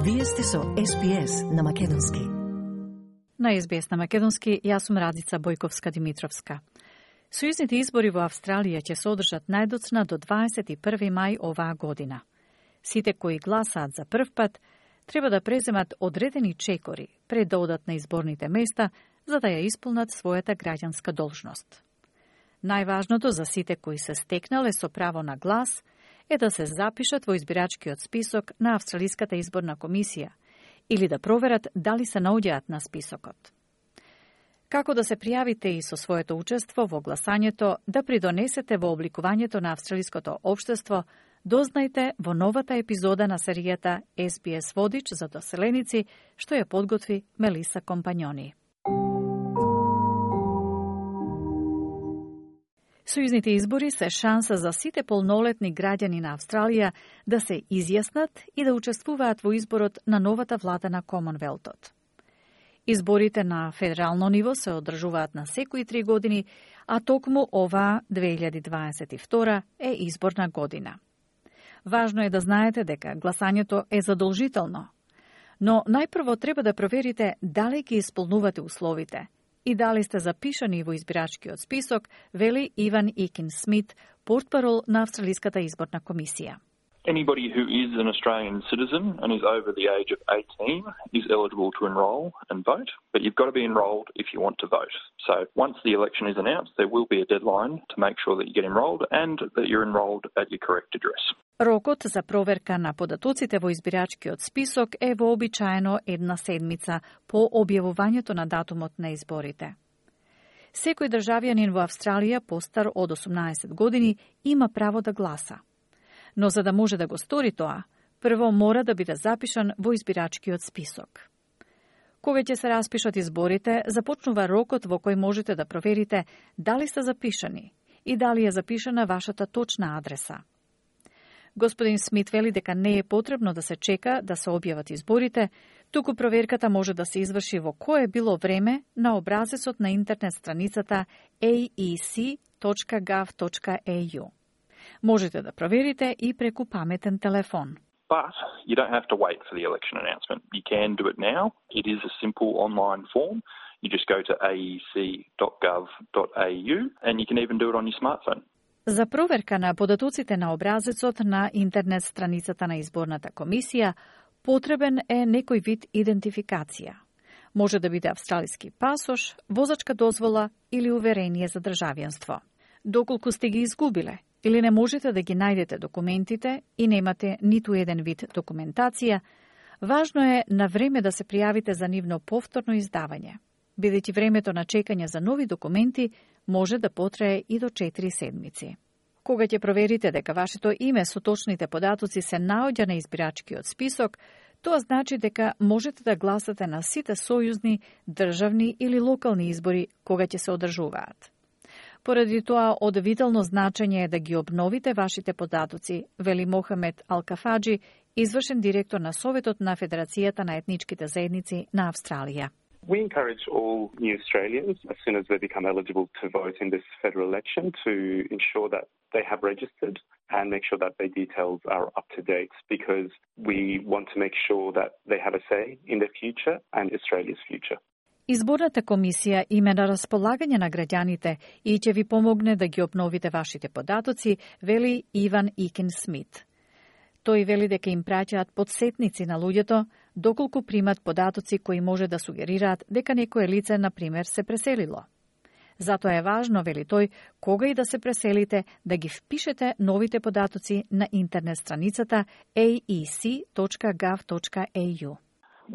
Вие сте со SBS на Македонски. На SBS на Македонски, јас сум Радица Бојковска-Димитровска. Сојузните избори во Австралија ќе се одржат најдоцна до 21. мај оваа година. Сите кои гласаат за прв пат треба да преземат одредени чекори пред да одат на изборните места за да ја исполнат својата граѓанска должност. Најважното за сите кои се стекнале со право на глас е да се запишат во избирачкиот список на Австралиската изборна комисија или да проверат дали се наоѓаат на списокот. Како да се пријавите и со своето учество во гласањето да придонесете во обликувањето на австралиското општество, дознајте во новата епизода на серијата SBS Водич за доселеници, што ја подготви Мелиса Компањони. Сојузните избори се шанса за сите полнолетни граѓани на Австралија да се изјаснат и да учествуваат во изборот на новата влада на Комонвелтот. Изборите на федерално ниво се одржуваат на секои 3 години, а токму оваа 2022 е изборна година. Важно е да знаете дека гласањето е задолжително, но најпрво треба да проверите дали ги исполнувате условите и дали сте запишани во избирачкиот список, вели Иван Икин Смит, портпарол на Австралиската изборна комисија. Anybody who is an Australian citizen and is over the age of 18 is eligible to enrol and vote, but you've got to be enrolled if you want to vote. So once the election is announced, there will be a deadline to make sure that you get enrolled and that you're enrolled at your correct address. Рокот за проверка на податоците во избирачкиот список е вообичаено 1 седмица по објавувањето на датумот на изборите. Секој државјанин во Австралија постар од 18 години има право да гласа. Но за да може да го стори тоа, прво мора да биде запишан во избирачкиот список. Кога ќе се распишат изборите, започнува рокот во кој можете да проверите дали сте запишани и дали е запишана вашата точна адреса. Господин Смит вели дека не е потребно да се чека да се објават изборите, туку проверката може да се изврши во кое било време на образецот на интернет страницата aec.gov.au. Можете да проверите и преку паметен телефон. But you don't have to wait for the election announcement. You can do it now. It is a simple online form. You just go to aec.gov.au and you can even do it on your smartphone. За проверка на податоците на образецот на интернет страницата на изборната комисија, потребен е некој вид идентификација. Може да биде австралиски пасош, возачка дозвола или уверение за државјанство. Доколку сте ги изгубиле или не можете да ги најдете документите и немате ниту еден вид документација, важно е на време да се пријавите за нивно повторно издавање, бидејќи времето на чекање за нови документи може да потрае и до 4 седмици. Кога ќе проверите дека вашето име со точните податоци се наоѓа на избирачкиот список, тоа значи дека можете да гласате на сите сојузни, државни или локални избори кога ќе се одржуваат. Поради тоа, од витално значење е да ги обновите вашите податоци, вели Мохамед Алкафаджи, извршен директор на Советот на Федерацијата на етничките заедници на Австралија. We encourage all new Australians, as soon as they become eligible to vote in this federal election, to ensure that they have registered and make sure that their details are up to date, because we want to make sure that they have a say in their future and Australia's future. Изборната комисија има на располагање на граѓаните и ќе ви помогне да ги обновите вашите податоци, вели Иван Икин Смит. Тој вели дека им праќаат подсетници на луѓето доколку примат податоци кои може да сугерираат дека некое лице, например, се преселило. Затоа е важно, вели тој, кога и да се преселите, да ги впишете новите податоци на интернет страницата aec.gov.au.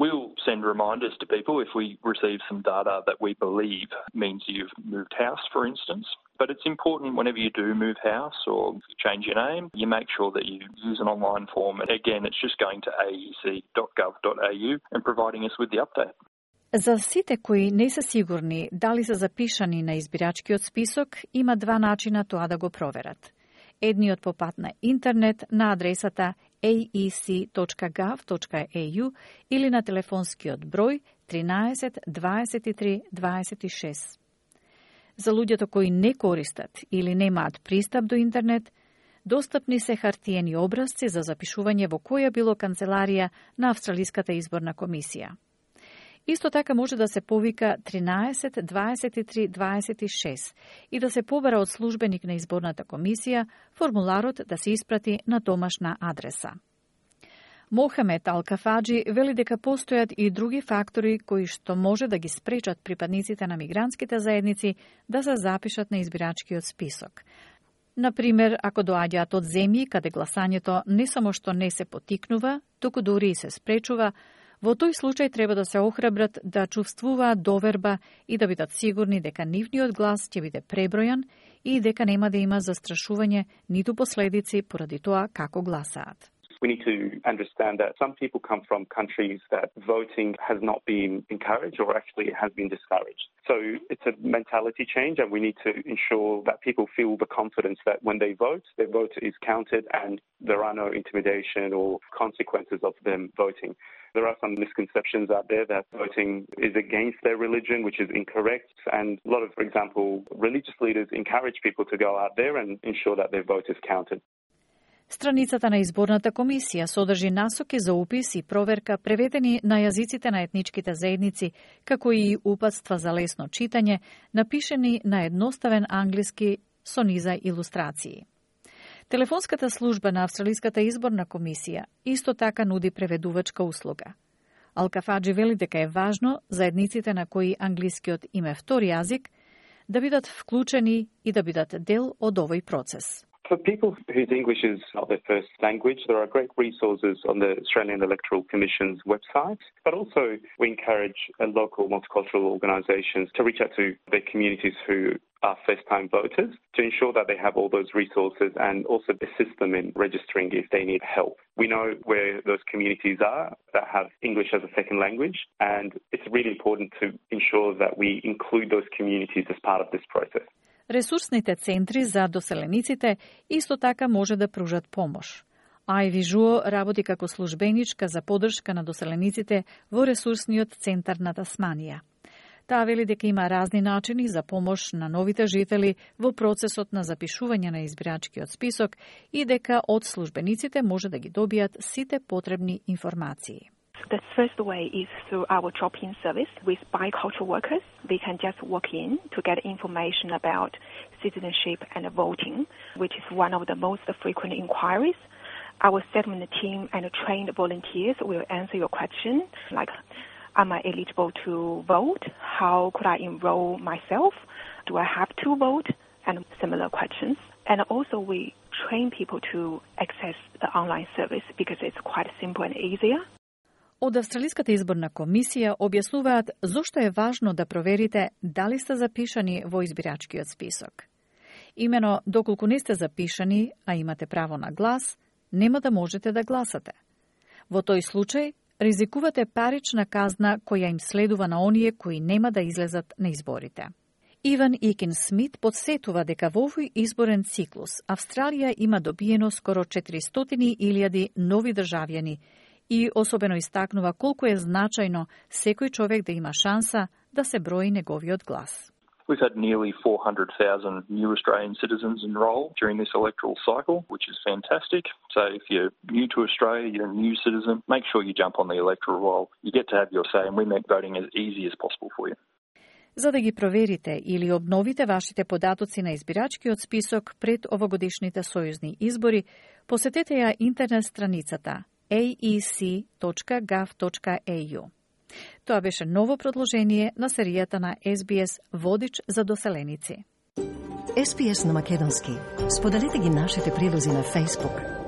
We'll send reminders to people if we receive some data that we believe means you've moved house, for instance. But it's important whenever you do move house or change your name, you make sure that you use an online form. And again, it's just going to aec.gov.au and providing us with the update. За сите кои не се сигурни дали се запишани на избирачкиот список, има 2 начина тоа да го проверат. Едниот по пат на интернет на адресата aec.gov.au или на телефонскиот број 13 23 26. За луѓето кои не користат или немаат пристап до интернет, Достапни се хартиени образци за запишување во која било канцеларија на Австралиската изборна комисија. Исто така може да се повика 13 23 26 и да се побара од службеник на изборната комисија формуларот да се испрати на домашна адреса. Мохамед Ал-Кафаджи вели дека постојат и други фактори кои што може да ги спречат припадниците на мигрантските заедници да се запишат на избирачкиот список. Например, ако доаѓаат од земји каде гласањето не само што не се потикнува, туку дури и се спречува, во тој случај треба да се охрабрат да чувствуваат доверба и да бидат сигурни дека нивниот глас ќе биде пребројан и дека нема да има застрашување ниту последици поради тоа како гласаат. We need to understand that some people come from countries that voting has not been encouraged or actually has been discouraged. So it's a mentality change, and we need to ensure that people feel the confidence that when they vote, their vote is counted and there are no intimidation or consequences of them voting. There are some misconceptions out there that voting is against their religion, which is incorrect. And a lot of, for example, religious leaders encourage people to go out there and ensure that their vote is counted. Страницата на изборната комисија содржи насоки за упис и проверка преведени на јазиците на етничките заедници, како и упатства за лесно читање, напишени на едноставен англиски со низа илустрации. Телефонската служба на Австралиската изборна комисија исто така нуди преведувачка услуга. Ал-Кафаджи вели дека е важно заедниците на кои англискиот им е втори јазик да бидат вклучени и да бидат дел од овој процес. For people whose English is not their first language, there are great resources on the Australian Electoral Commission's website, but also we encourage local multicultural organisations to reach out to their communities who are first-time voters to ensure that they have all those resources and also assist them in registering if they need help. We know where those communities are that have English as a second language, and it's really important to ensure that we include those communities as part of this process. Ресурсните центри за доселениците исто така може да пружат помош. Ајви Жуо работи како службеничка за поддршка на доселениците во ресурсниот центар на Тасманија. Таа вели дека има разни начини за помош на новите жители во процесот на запишување на избирачкиот список и дека од службениците може да ги добијат сите потребни информации. The first way is through our drop-in service with bicultural workers. They can just walk in to get information about citizenship and voting, which is one of the most frequent inquiries. Our settlement team and trained volunteers will answer your question, like, am I eligible to vote? How could I enroll myself? Do I have to vote? And similar questions. And also we train people to access the online service because it's quite simple and easier. Од Австралиската изборна комисија објаснуваат зошто е важно да проверите дали сте запишани во избирачкиот список. Имено, доколку не сте запишани, а имате право на глас, нема да можете да гласате. Во тој случај, ризикувате парична казна која им следува на оние кои нема да излезат на изборите. Иван Икин Смит подсетува дека во овој изборен циклус Австралија има добиено скоро 400.000 нови државјани и особено истакнува колку е значајно секој човек да има шанса да се брои неговиот глас. We've had nearly 400,000 new Australian citizens enroll during this electoral cycle, which is fantastic. So if you're new to Australia, you're a new citizen, make sure you jump on the electoral roll. You get to have your say, and we make voting as easy as possible for you. За да ги проверите или обновите вашите податоци на избирачкиот список пред овогодишните сојузни избори, посетете ја интернет страницата aec.gov.au. Тоа беше ново продолжение на серијата на SBS Водич за доселеници. SBS на македонски. Споделете ги нашите прилози на Facebook,